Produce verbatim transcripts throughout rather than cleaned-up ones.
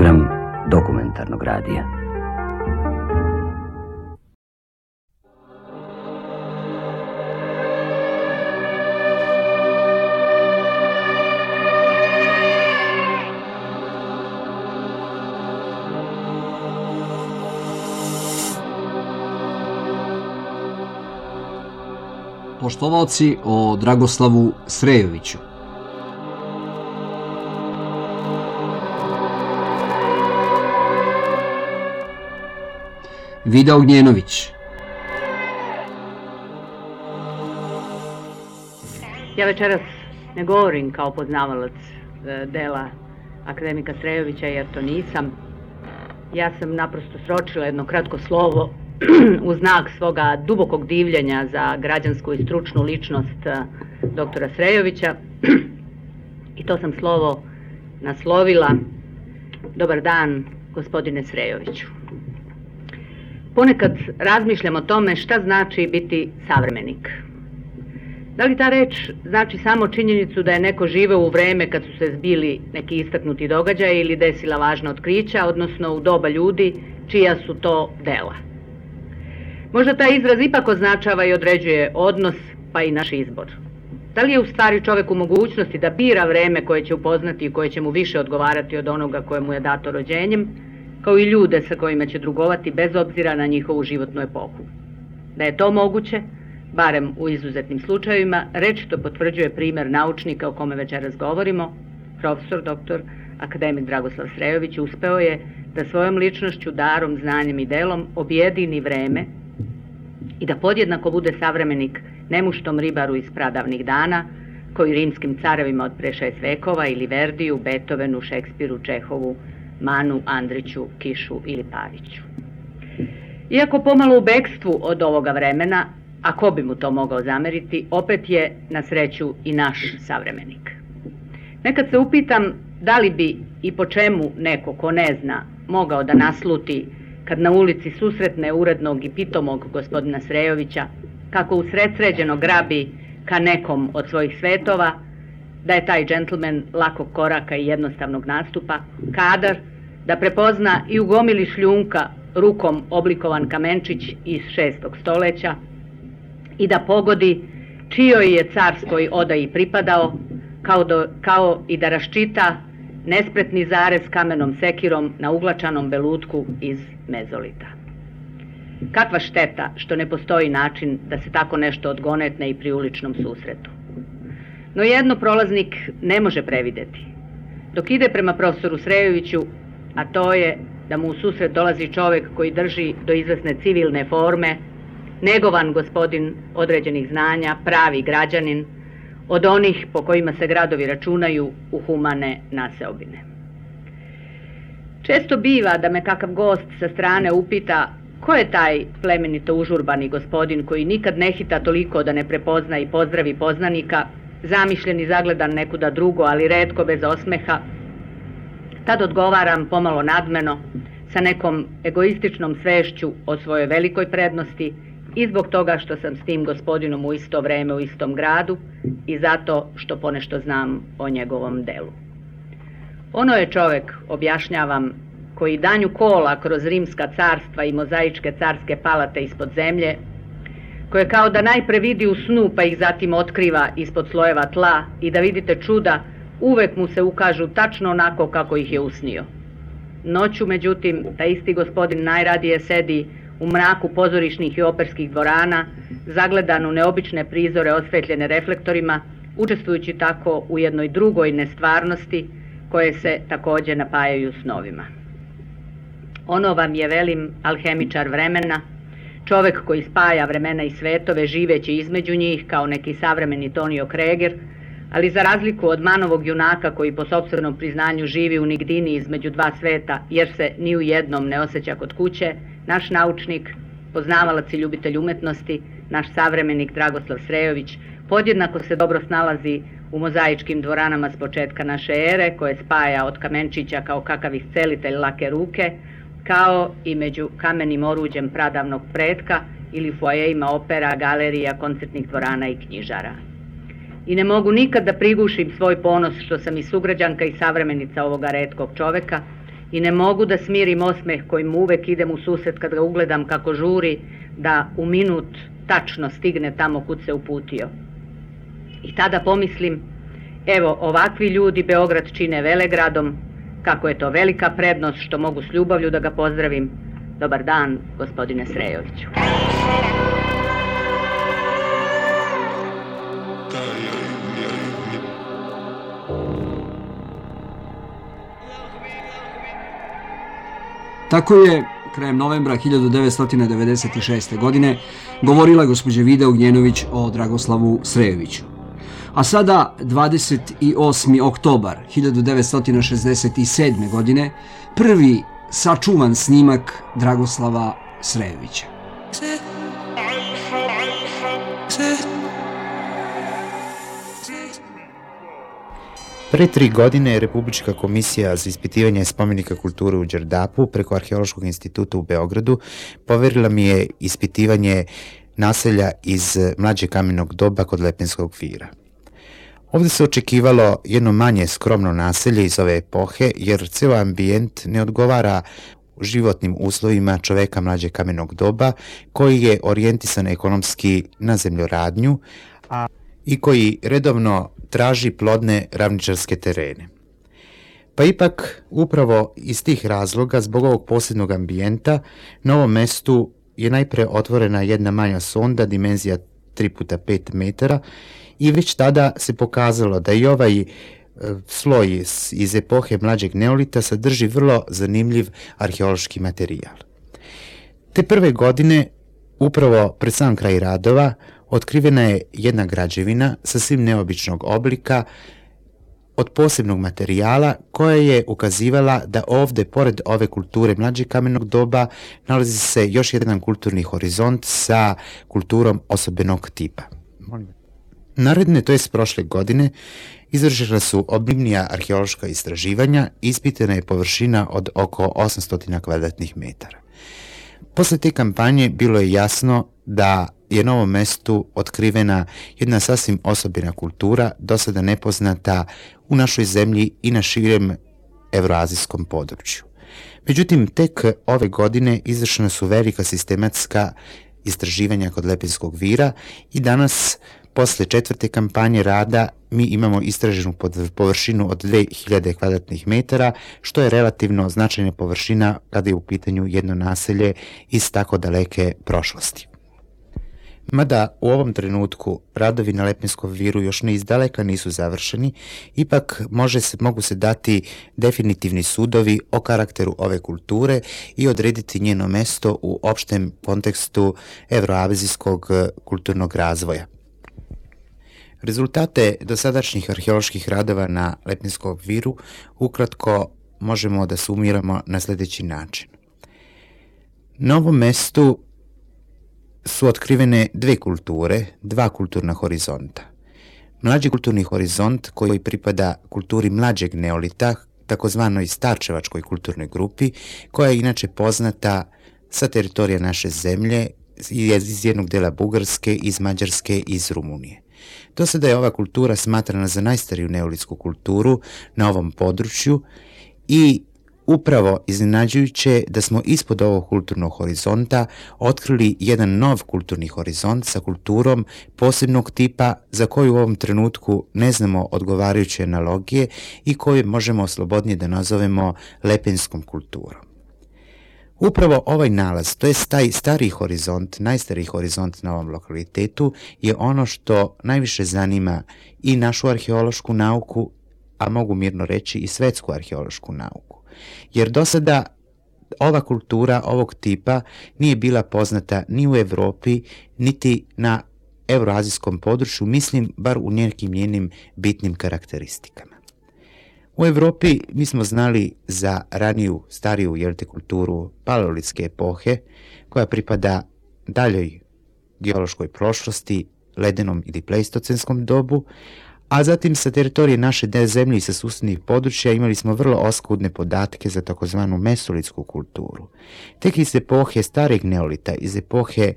program dokumentarnog radija. Poštovaoci, o Dragoslavu Srejoviću. Vida Ognjenović. Ja večeras ne govorim kao poznavalac dela akademika Srejovića, jer to nisam. Ja sam naprosto sročila jedno kratko slovo u znak svoga dubokog divljenja za građansku i stručnu ličnost doktora Srejovića i to sam slovo naslovila: Dobar dan, gospodine Srejoviću. Ponekad razmišljam o tome šta znači biti savremenik. Da li ta reč znači samo činjenicu da je neko živeo u vreme kad su se zbili neki istaknuti događaji ili desila važna otkrića, odnosno u doba ljudi čija su to dela? Možda taj izraz ipak označava i određuje odnos, pa i naš izbor. Da li je u stvari čovek u mogućnosti da bira vreme koje će upoznati i koje će mu više odgovarati od onoga koje mu je dato rođenjem, kao i ljude sa kojima će drugovati bez obzira na njihovu životnu epohu? Da je to moguće, barem u izuzetnim slučajevima, rečito potvrđuje primer naučnika o kome večeras govorimo. Profesor doktor akademik Dragoslav Srejović uspeo je da svojom ličnošću, darom, znanjem i delom objedini vreme i da podjednako bude savremenik nemuštom ribaru iz pradavnih dana, koji rimskim carevima od pre šest vekova ili Verdiju, Beethovenu, Šekspiru, Čehovu, Manu, Andriću, Kišu ili Paviću. Iako pomalo u bekstvu od ovoga vremena, a ko bi mu to mogao zameriti, opet je na sreću i naš savremenik. Nekad se upitam da li bi i po čemu neko ko ne zna mogao da nasluti kad na ulici susretne urednog i pitomog gospodina Srejovića, kako usredsređeno grabi ka nekom od svojih svetova, da je taj džentlmen lakog koraka i jednostavnog nastupa, kadar da prepozna i u gomili šljunka rukom oblikovan kamenčić iz šestog stoleća i da pogodi čijoj je carskoj odaji pripadao, kao, do, kao i da raščita nespretni zarez kamenom sekirom na uglačanom belutku iz mezolita. Kakva šteta što ne postoji način da se tako nešto odgonetne i pri uličnom susretu. No jedno prolaznik ne može prevideti. Dok ide prema profesoru Srejoviću, a to je da mu u susret dolazi čovek koji drži do izvesne civilne forme, negovan gospodin određenih znanja, pravi građanin, od onih po kojima se gradovi računaju u humane naseobine. Često biva da me kakav gost sa strane upita ko je taj plemenito užurbani gospodin koji nikad ne hita toliko da ne prepozna i pozdravi poznanika, zamišljen i zagledan nekuda drugo, ali retko bez osmeha. Tad odgovaram pomalo nadmeno, sa nekom egoističnom svešću o svojoj velikoj prednosti i zbog toga što sam s tim gospodinom u isto vreme u istom gradu i zato što ponešto znam o njegovom delu. Ono je čovek, objašnjavam, koji danju kola kroz rimska carstva i mozaičke carske palate ispod zemlje, koje kao da najpre vidi u snu pa ih zatim otkriva ispod slojeva tla i da vidite čuda, uvek mu se ukažu tačno onako kako ih je usnio. Noću, međutim, taj isti gospodin najradije sedi u mraku pozorišnih i operskih dvorana, zagledan u neobične prizore osvetljene reflektorima, učestvujući tako u jednoj drugoj nestvarnosti koje se takođe napajaju snovima. Ono vam je, velim, alhemičar vremena, čovek koji spaja vremena i svetove živeći između njih kao neki savremeni Tonio Kreger, ali za razliku od Manovog junaka koji po sopstvenom priznanju živi u nigdini između dva sveta jer se ni u jednom ne osjeća kod kuće, naš naučnik, poznavalac i ljubitelj umetnosti, naš savremenik Dragoslav Srejović, podjednako se dobro snalazi u mozaičkim dvoranama s početka naše ere, koje spaja od kamenčića kao kakav iscelitelj lake ruke, kao i među kamenim oruđem pradavnog pretka ili foajejima opera, galerija, koncertnih dvorana i knjižara. I ne mogu nikad da prigušim svoj ponos što sam i sugrađanka i savremenica ovoga retkog čoveka, i ne mogu da smirim osmeh kojim mu uvek idem u susret kad ga ugledam kako žuri da u minut tačno stigne tamo kud se uputio. I tada pomislim, evo ovakvi ljudi Beograd čine velegradom, kako je to velika prednost što mogu s ljubavlju da ga pozdravim. Dobar dan, gospodine Srejoviću. Tako je krajem novembra hiljadu devetsto devedeset šeste. godine govorila gospođa Vida Ognjenović o Dragoslavu Srejoviću. A sada, dvadeset osmi oktobar hiljadu devetsto šezdeset sedme. godine, prvi sačuvan snimak Dragoslava Srejovića. Pre tri godine Republička komisija za ispitivanje spomenika kulture u Đerdapu preko Arheološkog instituta u Beogradu poverila mi je ispitivanje naselja iz mlađeg kamenog doba kod Lepenskog vira. Ovde se očekivalo jedno manje skromno naselje iz ove epohe, jer ceo ambijent ne odgovara životnim uslovima čoveka mlađeg kamenog doba, koji je orijentisan ekonomski na zemljoradnju, a i koji redovno traži plodne ravničarske terene. Pa ipak, upravo iz tih razloga, zbog ovog posebnog ambijenta, na ovom mestu je najpre otvorena jedna manja sonda, dimenzija tri puta pet metara, i već tada se pokazalo da i ovaj sloj iz epohe mlađeg neolita sadrži vrlo zanimljiv arheološki materijal. Te prve godine, upravo pred sam kraj radova, otkrivena je jedna građevina sasvim neobičnog oblika od posebnog materijala koja je ukazivala da ovde, pored ove kulture mlađeg kamenog doba, nalazi se još jedan kulturni horizont sa kulturom osobenog tipa. Naredne, to jest prošle godine, izvršena su obimnija arheološka istraživanja i ispitana je površina od oko osamsto kvadratnih metara. Posle te kampanje bilo je jasno da je na ovom mestu otkrivena jedna sasvim osobina kultura, do sada nepoznata u našoj zemlji i na širem evroazijskom području. Međutim, tek ove godine izvršena su velika sistematska istraživanja kod Lepenskog vira i danas, posle četvrte kampanje rada, mi imamo istraženu površinu od dve hiljade kvadratnih metara, što je relativno značajna površina kada je u pitanju jedno naselje iz tako daleke prošlosti. Mada u ovom trenutku radovi na Lepenskom viru još ne izdaleka nisu završeni, ipak može se, mogu se dati definitivni sudovi o karakteru ove kulture i odrediti njeno mesto u opštem kontekstu evroazijskog kulturnog razvoja. Rezultate dosadašnjih arheoloških radova na Lepenskom viru ukratko možemo da sumiramo na sljedeći način. Na ovom mestu su otkrivene dve kulture, dva kulturna horizonta. Mlađi kulturni horizont koji pripada kulturi mlađeg neolita, takozvanoj starčevačkoj kulturnoj grupi, koja je inače poznata sa teritorija naše zemlje, iz jednog dela Bugarske, iz Mađarske i iz Rumunije. Do sada je ova kultura smatrana za najstariju neolitsku kulturu na ovom području i upravo iznenađujuće da smo ispod ovog kulturnog horizonta otkrili jedan nov kulturni horizont sa kulturom posebnog tipa za koju u ovom trenutku ne znamo odgovarajuće analogije i koju možemo slobodnije da nazovemo lepenskom kulturom. Upravo ovaj nalaz, to je taj stari horizont, najstariji horizont na ovom lokalitetu, je ono što najviše zanima i našu arheološku nauku, a mogu mirno reći i svetsku arheološku nauku. Jer do sada ova kultura ovog tipa nije bila poznata ni u Evropi, niti na evroazijskom području, mislim bar u nekim njenim bitnim karakteristikama. U Evropi mi smo znali za raniju, stariju jelte kulturu paleolitske epohe, koja pripada daljoj geološkoj prošlosti, ledenom ili pleistocenskom dobu, a zatim sa teritorije naše zemlje i sa susednih područja imali smo vrlo oskudne podatke za takozvanu mesolitsku kulturu. Tek iz epohe stareg neolita, iz epohe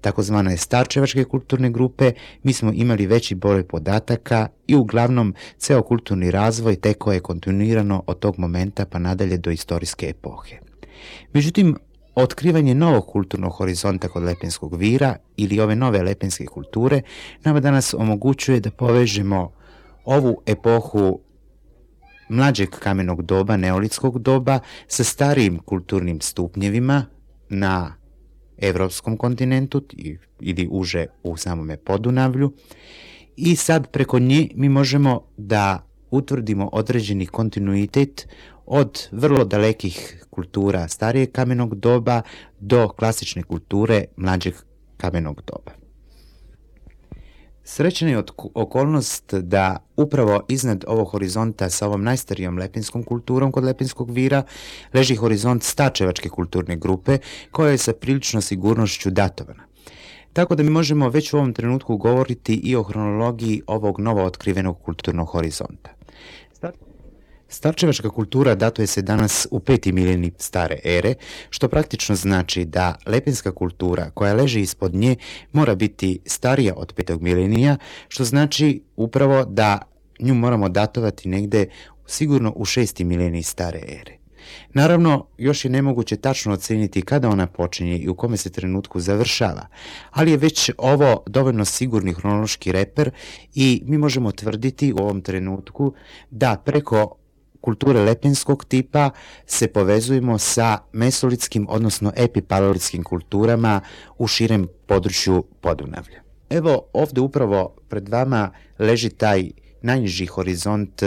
takozvane starčevačke kulturne grupe, mi smo imali veći broj podataka i uglavnom ceo kulturni razvoj tekao je kontinuirano od tog momenta pa nadalje do istorijske epohe. Međutim, otkrivanje novog kulturnog horizonta kod Lepenskog vira ili ove nove lepenske kulture nama danas omogućuje da povežemo ovu epohu mlađeg kamenog doba, neolitskog doba, sa starijim kulturnim stupnjevima na evropskom kontinentu ili uže u samome Podunavlju i sad preko nje mi možemo da utvrdimo određeni kontinuitet od vrlo dalekih kultura starijeg kamenog doba do klasične kulture mlađeg kamenog doba. Srećna je okolnost da upravo iznad ovog horizonta sa ovom najstarijom lepenskom kulturom kod Lepenskog vira leži horizont starčevačke kulturne grupe koja je sa prilično sigurnošću datovana. Tako da mi možemo već u ovom trenutku govoriti i o hronologiji ovog novo otkrivenog kulturnog horizonta. Starčevačka kultura datuje se danas u peti milenij stare ere, što praktično znači da lepenska kultura koja leži ispod nje mora biti starija od petog milenija, što znači upravo da nju moramo datovati negde sigurno u šesti milenij stare ere. Naravno, još je nemoguće tačno oceniti kada ona počinje i u kome se trenutku završava, ali je već ovo dovoljno sigurni hronološki reper i mi možemo tvrditi u ovom trenutku da preko kulture lepenskog tipa se povezujemo sa mesolitskim, odnosno epipaleolitskim kulturama u širem području Podunavlja. Evo ovde upravo pred vama leži taj najniži horizont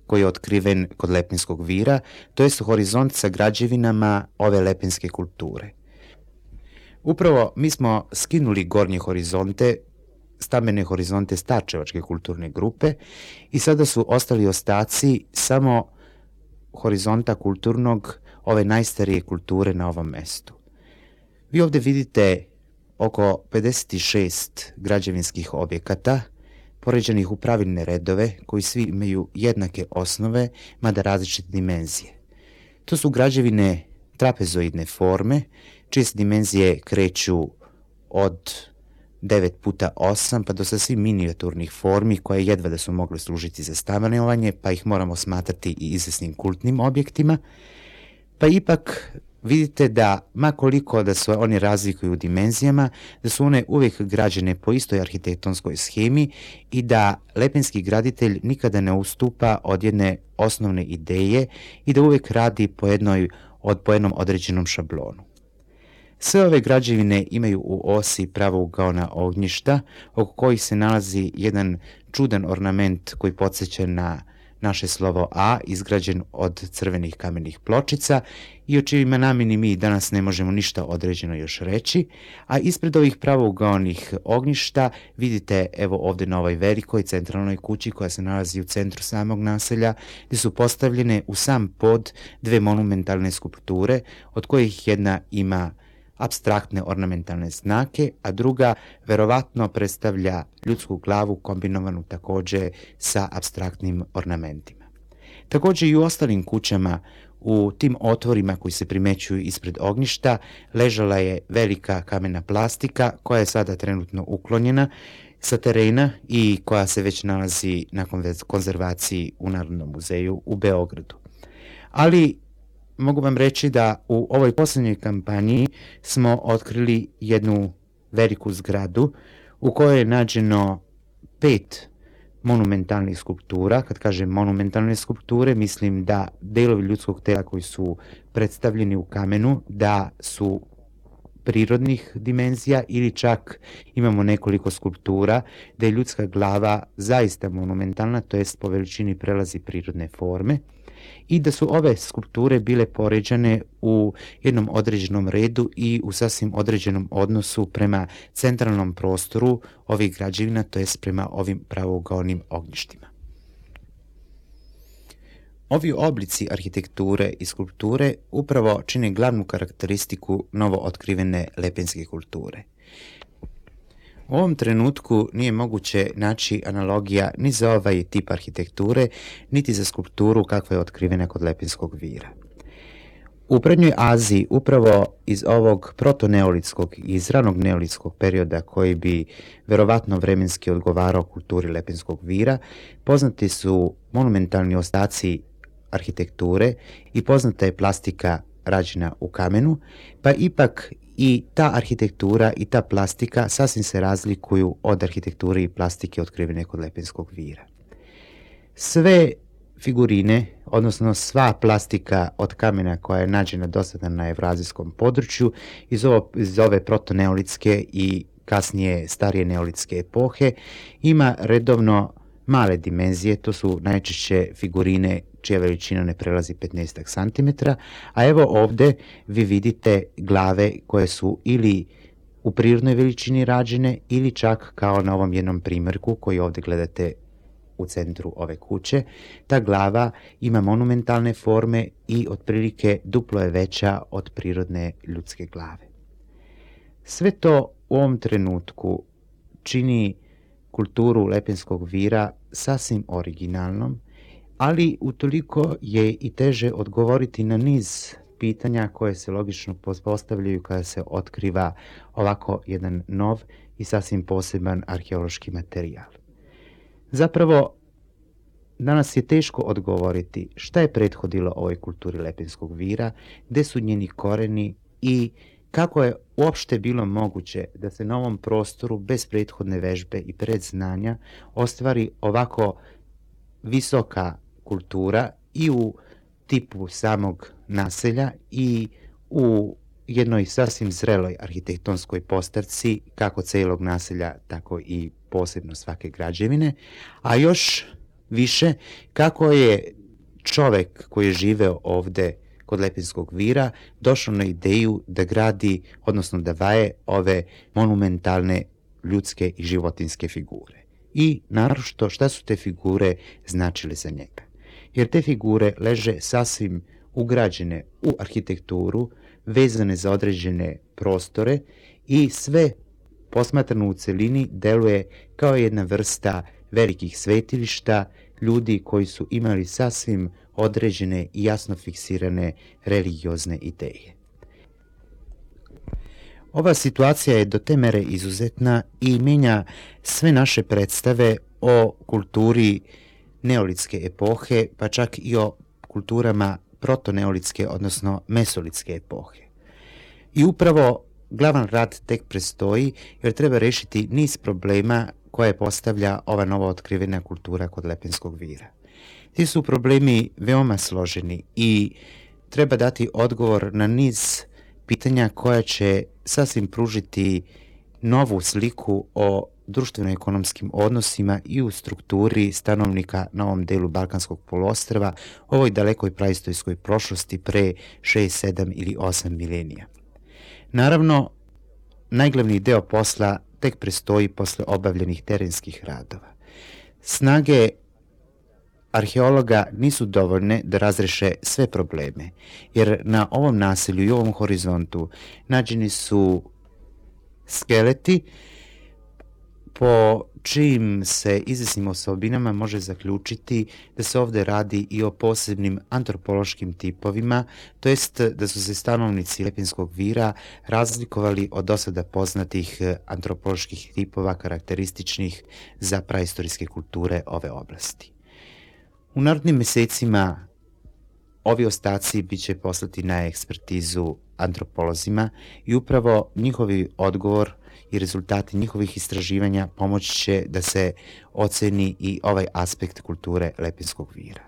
koji je otkriven kod Lepenskog vira, to je horizont sa građevinama ove lepenske kulture. Upravo mi smo skinuli gornje horizonte, stambene horizonte starčevačke kulturne grupe i sada su ostali ostaci samo horizonta kulturnog ove najstarije kulture na ovom mestu. Vi ovde vidite oko pedeset šest građevinskih objekata poređenih u pravilne redove koji svi imaju jednake osnove, mada različite dimenzije. To su građevine trapezoidne forme, čije se dimenzije kreću od devet puta osam pa do sasvim minijaturnih formi koje jedva da su mogle služiti za stanovanje, pa ih moramo smatrati i izvesnim kultnim objektima, pa ipak vidite da, makoliko da se oni razlikuju u dimenzijama, da su one uvijek građene po istoj arhitektonskoj schemi i da lepenski graditelj nikada ne ustupa od jedne osnovne ideje i da uvijek radi po, jednoj, od, po jednom određenom šablonu. Sve ove građevine imaju u osi pravougaona ognjišta, oko kojih se nalazi jedan čudan ornament koji podsjeća na naše slovo A, izgrađen od crvenih kamenih pločica i o čijima nameni mi danas ne možemo ništa određeno još reći, a ispred ovih pravougaonih ognjišta vidite evo ovde na ovoj velikoj centralnoj kući koja se nalazi u centru samog naselja, gde su postavljene u sam pod dve monumentalne skulpture, od kojih jedna ima apstraktne ornamentalne znake, a druga verovatno predstavlja ljudsku glavu kombinovanu takođe sa apstraktnim ornamentima. Takođe i u ostalim kućama, u tim otvorima koji se primećuju ispred ognjišta, ležala je velika kamena plastika koja je sada trenutno uklonjena sa terena i koja se već nalazi na konzervaciji u Narodnom muzeju u Beogradu. Ali mogu vam reći da u ovoj poslednjoj kampanji smo otkrili jednu veliku zgradu u kojoj je nađeno pet monumentalnih skulptura. Kad kažem monumentalne skulpture, mislim da delovi ljudskog tela koji su predstavljeni u kamenu, da su prirodnih dimenzija ili čak imamo nekoliko skulptura da je ljudska glava zaista monumentalna, to jest po veličini prelazi prirodne forme, i da su ove skulpture bile poređane u jednom određenom redu i u sasvim određenom odnosu prema centralnom prostoru ovih građevina, to jest prema ovim pravougaonim ognjištima. Ovi oblici arhitekture i skulpture upravo čine glavnu karakteristiku novo otkrivene lepenske kulture. U ovom trenutku nije moguće naći analogija ni za ovaj tip arhitekture, niti za skulpturu kakva je otkrivena kod Lepenskog vira. U Prednjoj Aziji, upravo iz ovog protoneolitskog i iz ranog neolitskog perioda koji bi verovatno vremenski odgovarao kulturi Lepenskog vira, poznati su monumentalni ostaci arhitekture i poznata je plastika rađena u kamenu, pa ipak i ta arhitektura i ta plastika sasvim se razlikuju od arhitekture i plastike otkrivene kod Lepenskog vira. Sve figurine, odnosno sva plastika od kamena koja je nađena do sada na evrazijskom području iz, ovo, iz ove protoneolitske i kasnije starije neolitske epohe ima redovno male dimenzije, to su najčešće figurine čija veličina ne prelazi petnaest centimetara, a evo ovde vi vidite glave koje su ili u prirodnoj veličini rađene ili čak kao na ovom jednom primjerku koji ovde gledate u centru ove kuće. Ta glava ima monumentalne forme i otprilike duplo je veća od prirodne ljudske glave. Sve to u ovom trenutku čini kulturu Lepenskog vira sasvim originalnom, ali utoliko je i teže odgovoriti na niz pitanja koje se logično postavljaju kada se otkriva ovako jedan nov i sasvim poseban arheološki materijal. Zapravo, danas je teško odgovoriti šta je prethodilo ovoj kulturi Lepenskog vira, gde su njeni koreni i kako je uopšte bilo moguće da se na ovom prostoru bez prethodne vežbe i predznanja ostvari ovako visoka kultura i u tipu samog naselja i u jednoj sasvim zreloj arhitektonskoj postavci kako celog naselja, tako i posebno svake građevine, a još više kako je čovek koji je živeo ovde kod Lepenskog vira došao na ideju da gradi, odnosno da vaje ove monumentalne ljudske i životinske figure. I naročito šta su te figure značile za njega. Jer te figure leže sasvim ugrađene u arhitekturu, vezane za određene prostore i sve posmatrano u celini deluje kao jedna vrsta velikih svetilišta, ljudi koji su imali sasvim određene i jasno fiksirane religiozne ideje. Ova situacija je do te mere izuzetna i menja sve naše predstave o kulturi neolitske epohe, pa čak i o kulturama protoneolitske, odnosno mesolitske epohe. I upravo glavan rad tek prestoji jer treba rešiti niz problema koje postavlja ova novo otkrivena kultura kod Lepenskog vira. Ti su problemi veoma složeni i treba dati odgovor na niz pitanja koja će sasvim pružiti novu sliku o društveno-ekonomskim odnosima i u strukturi stanovnika na ovom delu Balkanskog poluostrva, ovoj dalekoj praistorijskoj prošlosti pre šest, sedam ili osam milenija. Naravno, najglavniji deo posla tek prestoji posle obavljenih terenskih radova. Snage arheologa nisu dovoljne da razreše sve probleme, jer na ovom naselju i ovom horizontu nađeni su skeleti po čijim se izvesnim osobinama može zaključiti da se ovde radi i o posebnim antropološkim tipovima, to jest da su se stanovnici Lepenskog vira razlikovali od dosada poznatih antropoloških tipova karakterističnih za praistorijske kulture ove oblasti. U narednim mesecima ovi ostaci biće poslati na ekspertizu antropolozima i upravo njihovi odgovor i rezultati njihovih istraživanja pomoći će da se oceni i ovaj aspekt kulture Lepenskog vira.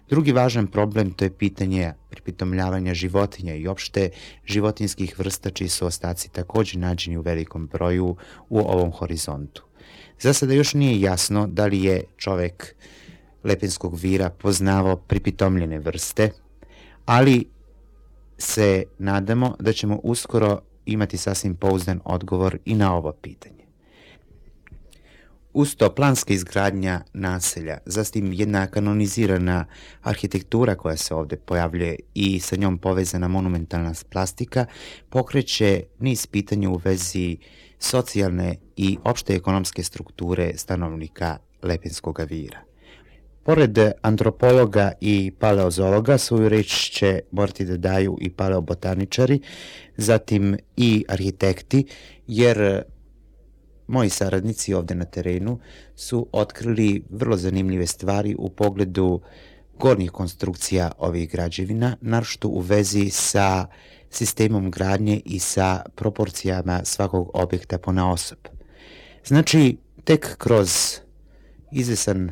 Drugi važan problem to je pitanje pripitomljavanja životinja i opšte životinskih vrsta čiji su ostaci takođe nađeni u velikom broju u ovom horizontu. Za sada još nije jasno da li je čovek Lepenskog vira poznavao pripitomljene vrste, ali se nadamo da ćemo uskoro imati sasvim pouzdan odgovor i na ovo pitanje. Uz to planska izgradnja naselja, zatim jedna kanonizirana arhitektura koja se ovde pojavljuje i sa njom povezana monumentalna plastika, pokreće niz pitanja u vezi socijalne i opšte ekonomske strukture stanovnika Lepenskog vira. Pored antropologa i paleozologa, svoju reč će morati da daju i paleobotaničari, zatim i arhitekti, jer moji saradnici ovde na terenu su otkrili vrlo zanimljive stvari u pogledu gornjih konstrukcija ovih građevina, naročito u vezi sa sistemom gradnje i sa proporcijama svakog objekta ponaosob. Znači, tek kroz izvesan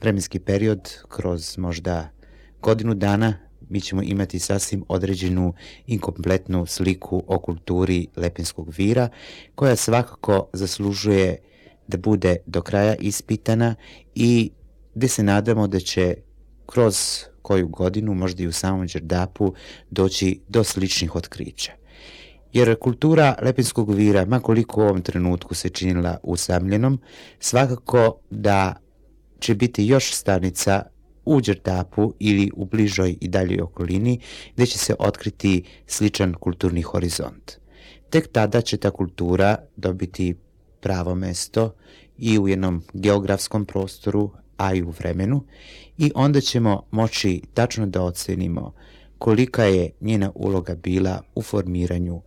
vremenski period, kroz možda godinu dana, mi ćemo imati sasvim određenu i kompletnu sliku o kulturi Lepinskog vira, koja svakako zaslužuje da bude do kraja ispitana i gde se nadamo da će kroz koju godinu, možda i u samom Đerdapu, doći do sličnih otkrića. Jer kultura Lepinskog vira, makoliko u ovom trenutku se činila usamljenom, svakako da će biti još stanica u Đerdapu ili u bližoj i daljoj okolini gde će se otkriti sličan kulturni horizont. Tek tada će ta kultura dobiti pravo mesto i u jednom geografskom prostoru, a i u vremenu, i onda ćemo moći tačno da ocenimo kolika je njena uloga bila u formiranju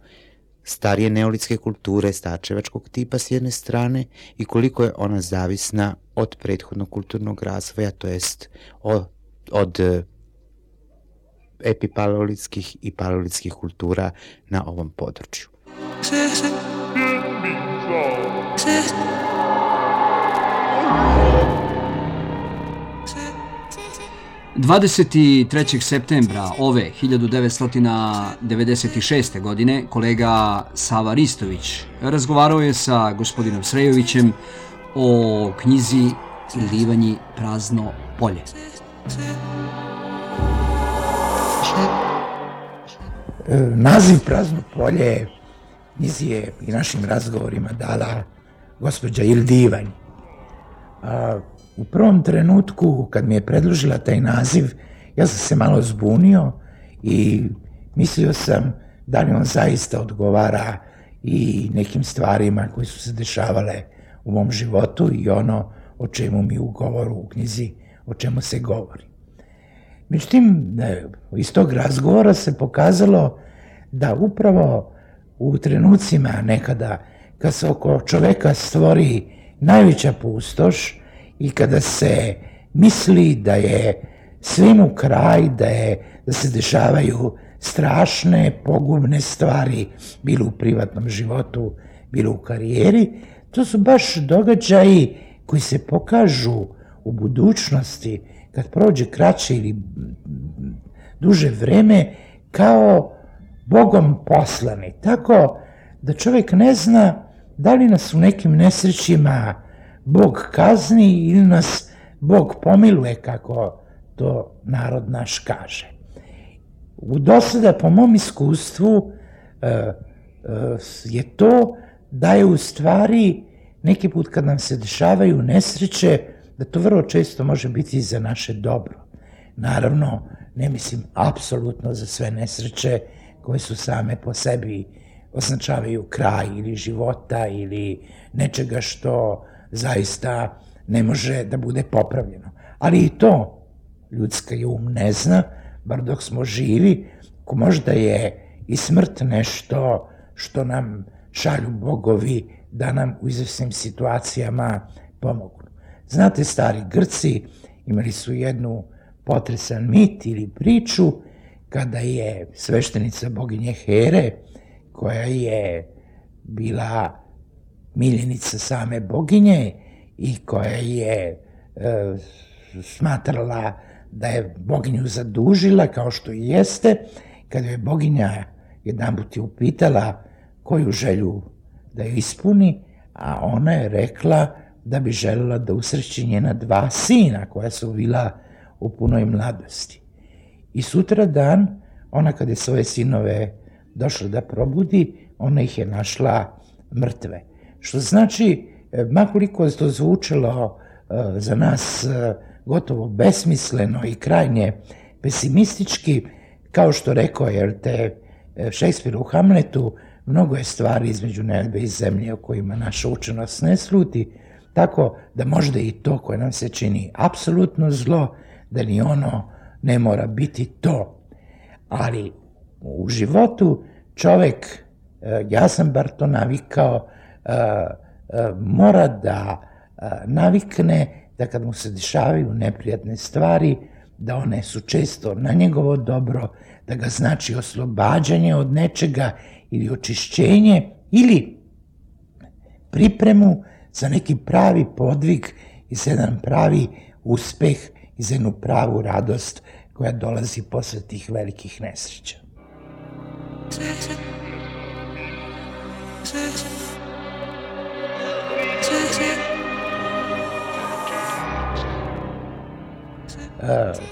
starije neolitske kulture starčevačkog tipa s jedne strane i koliko je ona zavisna od prethodnog kulturnog razvoja, to jest od, od epipaleolitskih i paleolitskih kultura na ovom području. dvadeset trećeg septembra ove hiljadu devetsto devedeset šeste. godine kolega Sava Ristović razgovarao je sa gospodinom Srejovićem o knjizi Livanji prazno polje. Naziv Prazno polje knjizi je i našim razgovorima dala gospođa Ildivanj. A u prvom trenutku kad mi je predložila taj naziv, ja sam se malo zbunio i mislio sam da li on zaista odgovara i nekim stvarima koje su se dešavale u mom životu i ono o čemu mi u govoru u knjizi, o čemu se govori. Međutim, iz tog razgovora se pokazalo da upravo u trenucima nekada kad se oko čoveka stvori najveća pustoš i kada se misli da je svemu kraj, da, je, da se dešavaju strašne, pogubne stvari, bilo u privatnom životu, bilo u karijeri, to su baš događaji koji se pokažu u budućnosti, kad prođe kraće ili duže vreme, kao Bogom poslani. Tako da čovjek ne zna da li nas u nekim nesrećima Bog kazni ili nas Bog pomiluje, kako to narod naš kaže. U dosada, po mom iskustvu, je to da je u stvari neki put kad nam se dešavaju nesreće, da to vrlo često može biti za naše dobro. Naravno, ne mislim apsolutno za sve nesreće koje su same po sebi označavaju kraj ili života ili nečega što zaista ne može da bude popravljeno. Ali i to ljudska um ne zna, bar dok smo živi, ko možda je i smrt nešto što nam šalju bogovi da nam u izvesnim situacijama pomogu. Znate, stari Grci imali su jednu potresan mit ili priču kada je sveštenica boginje Here, koja je bila miljenica same boginje i koja je e, smatrala da je boginju zadužila, kao što i jeste, kada je boginja jedanput je upitala koju želju da ju ispuni, a ona je rekla da bi željela da usreći njena dva sina koja su bila u punoj mladosti. I sutra dan, ona kad je svoje sinove došla da probudi, ona ih je našla mrtve. Što znači, makoliko je to zvučalo za nas gotovo besmisleno i krajnje pesimistički, kao što rekao je te Šekspir u Hamletu, mnogo je stvari između nebe i zemlje o kojima naša učenost ne sluti, Tako da možda i to koje nam se čini apsolutno zlo, da ni ono ne mora biti to. Ali u životu čovek, ja sam bar to navikao, mora da navikne da kad mu se dešavaju neprijatne stvari, da one su često na njegovo dobro, da ga znači oslobađanje od nečega ili očišćenje ili pripremu za neki pravi podvig i za jedan pravi uspeh i za jednu pravu radost koja dolazi posle tih velikih nesreća.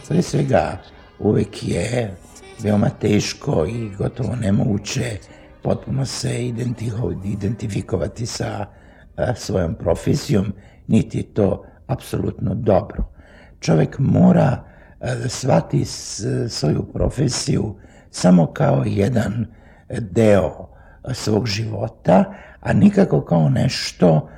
Pre svega, uvek je veoma teško i gotovo nemoguće potpuno se identifikovati sa svojom profesijom, niti je to apsolutno dobro. Čovek mora da shvati svoju profesiju samo kao jedan deo svog života, a nikako kao nešto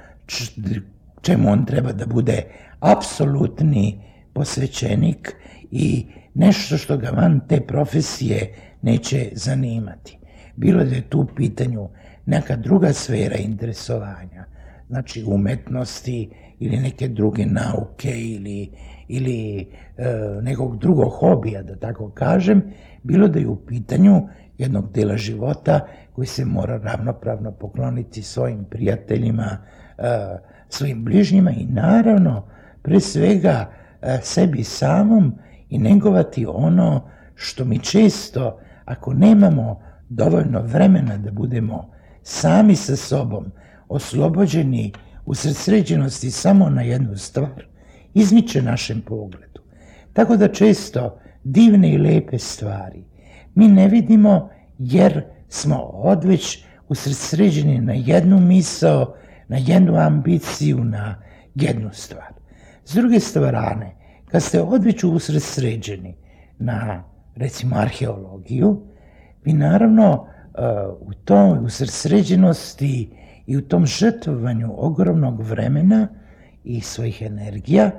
čemu on treba da bude apsolutni posvećenik i nešto što ga van te profesije neće zanimati. Bilo da je tu u pitanju neka druga sfera interesovanja, znači umetnosti ili neke druge nauke ili, ili e, nekog drugog hobija, da tako kažem, bilo da je u pitanju jednog dela života koji se mora ravnopravno pokloniti svojim prijateljima, e, svojim bližnjima i naravno, pre svega, e, sebi samom i negovati ono što mi često, ako nemamo dovoljno vremena da budemo sami sa sobom, oslobođeni usredsređenosti samo na jednu stvar, izmiče našem pogledu. Tako da često divne i lepe stvari mi ne vidimo jer smo odveć usredsređeni na jednu misao, na jednu ambiciju, na jednu stvar. S druge strane, kad ste odveć usredsređeni na, recimo, arheologiju, vi naravno u toj usredsređenosti i u tom žrtvovanju ogromnog vremena i svojih energija,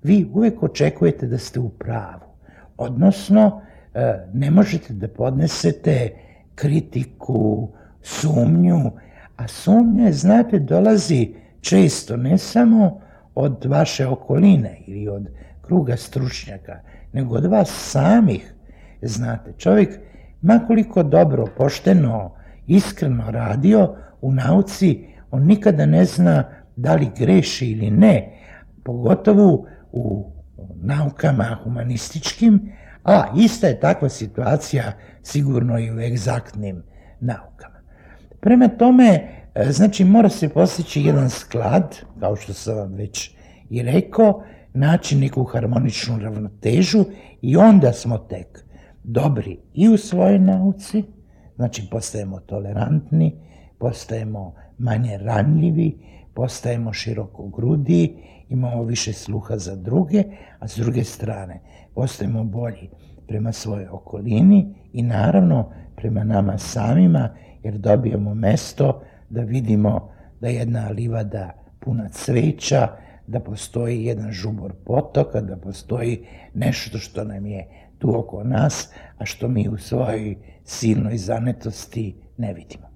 vi uvek očekujete da ste u pravu. Odnosno, ne možete da podnesete kritiku, sumnju, a sumnja, znate, dolazi često ne samo od vaše okoline ili od kruga stručnjaka, nego od vas samih. Znate, čovjek, makoliko dobro, pošteno, iskreno radio u nauci, on nikada ne zna da li greši ili ne, pogotovo u naukama humanističkim, a ista je takva situacija sigurno i u egzaktnim naukama. Prema tome, znači, mora se postići jedan sklad, kao što sam vam već i rekao, naći neku harmoničnu ravnotežu i onda smo tek dobri i u svojoj nauci, znači postajemo tolerantni, postajemo manje ranljivi, postajemo širokogrudi, imamo više sluha za druge, a s druge strane postajemo bolji prema svojoj okolini i naravno prema nama samima, jer dobijemo mesto da vidimo da je jedna livada puna cveća, da postoji jedan žubor potoka, da postoji nešto što nam je tu oko nas, a što mi u svojoj silnoj zanetosti ne vidimo.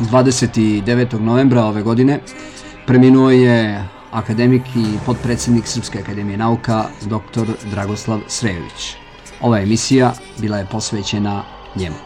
dvadeset devetog novembra ove godine preminuo je akademik i potpredsjednik Srpske akademije nauka doktor Dragoslav Srejović. Ova emisija bila je posvećena njemu.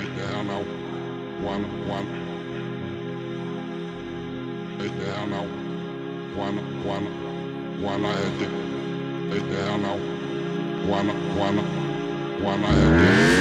Take the hell now. One, one. Take the hell now. One, one. One I had it. Take the hell now. One, one. One I had it.